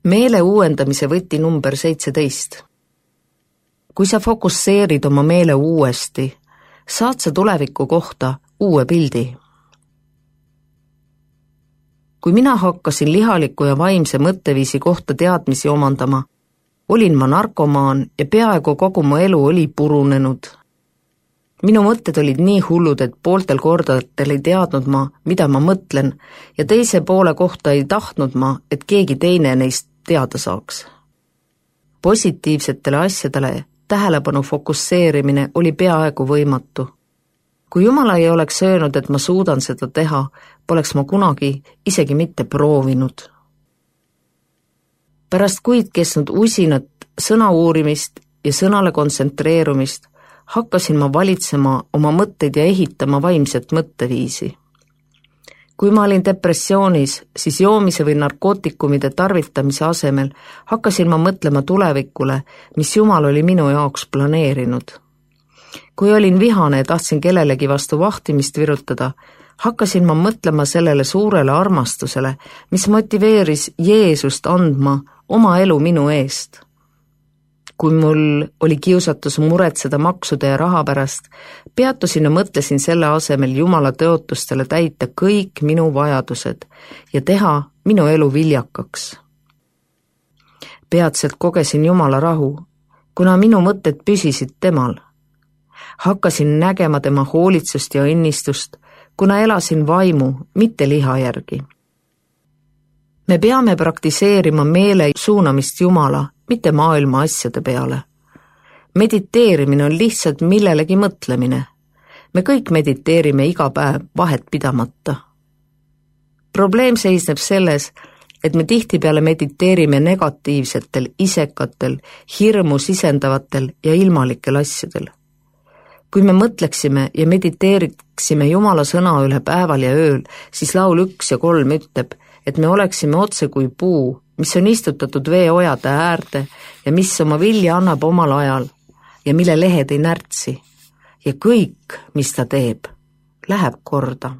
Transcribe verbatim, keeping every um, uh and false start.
Meele uuendamise võti number seitseteist. Kui sa fokusseerid oma meele uuesti, saad sa tuleviku kohta uue pildi. Kui mina hakkasin lihaliku ja vaimse mõtteviisi kohta teadmisi omandama, olin ma narkomaan ja peaaegu kogu mu elu oli purunenud. Minu mõtted olid nii hullud, et pooltel kordatel ei teadnud ma, mida ma mõtlen, ja teise poole kohta ei tahtnud ma, et keegi teine neist teada saaks. Positiivsetele asjadele tähelepanu fokusseerimine oli peaaegu võimatu. Kui Jumal ei oleks öelnud, et ma suudan seda teha, poleks ma kunagi isegi mitte proovinud. Pärast kuid kestnud usinat sõna uurimist ja sõnale kontsentreerumist hakkasin ma valitsema oma mõtteid ja ehitama vaimset mõtteviisi. Kui ma olin depressioonis, siis joomise või narkootikumide tarvitamise asemel hakkasin ma mõtlema tulevikule, mis Jumal oli minu jaoks planeerinud. Kui olin vihane ja tahtsin kellelegi vastu vahtimist virutada, hakkasin ma mõtlema sellele suurele armastusele, mis motiveeris Jeesust andma oma elu minu eest. Kui mul oli kiusatus muretseda maksude ja raha pärast, peatusin ja mõtlesin selle asemel Jumala tõotustele täita kõik minu vajadused ja teha minu elu viljakaks. Peatselt kogesin Jumala rahu, kuna minu mõtted püsisid temal. Hakkasin nägema tema hoolitsust ja õnnistust, kuna elasin vaimu, mitte liha järgi. Me peame praktiseerima meele suunamist Jumala, mitte maailma asjade peale. Mediteerimine on lihtsalt millelegi mõtlemine. Me kõik mediteerime iga päev vahet pidamata. Probleem seisneb selles, et me tihtipeale mediteerime negatiivsetel, isekatel, hirmu sisendavatel ja ilmalikel asjadel. Kui me mõtleksime ja mediteeriksime Jumala sõna üle päeval ja ööl, siis laul üks ja kolm ütleb, et me oleksime otse kui puu, mis on istutatud veeojade äärde ja mis oma vilja annab omal ajal ja mille lehed ei närtsi. Ja kõik, mis ta teeb, läheb korda.